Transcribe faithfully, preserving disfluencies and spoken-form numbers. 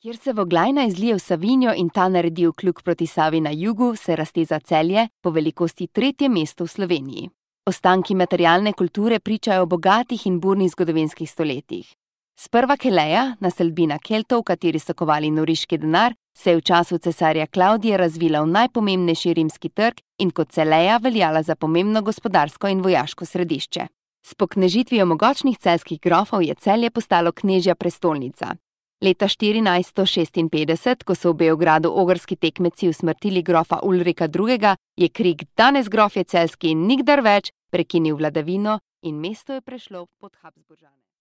Kjer se Voglajna izlije v Savinjo in ta naredi ukljuk proti Savi na jugu, se razteza Celje, po velikosti tretje mesto v Sloveniji. Ostanki materialne kulture pričajo o bogatih in burnih zgodovinskih stoletjih. Sprva Keleja, naselbina Keltov, v kateri so kovali noriški denar, se je v času cesarja Klavdija razvila v najpomembnejši rimski trg in kot Celeja veljala za pomembno gospodarsko in vojaško središče. S poknežitvijo mogočnih celjskih grofov je Celje postalo knežja prestolnica. Leta štirinajststo šestinpetdeset, ko so v Beogradu ogrski tekmeci usmrtili grofa Ulrika drugega., je krik "Danes grofje celjski in nikdar več" prekinil vladavino in mesto je prešlo pod Habsburžane.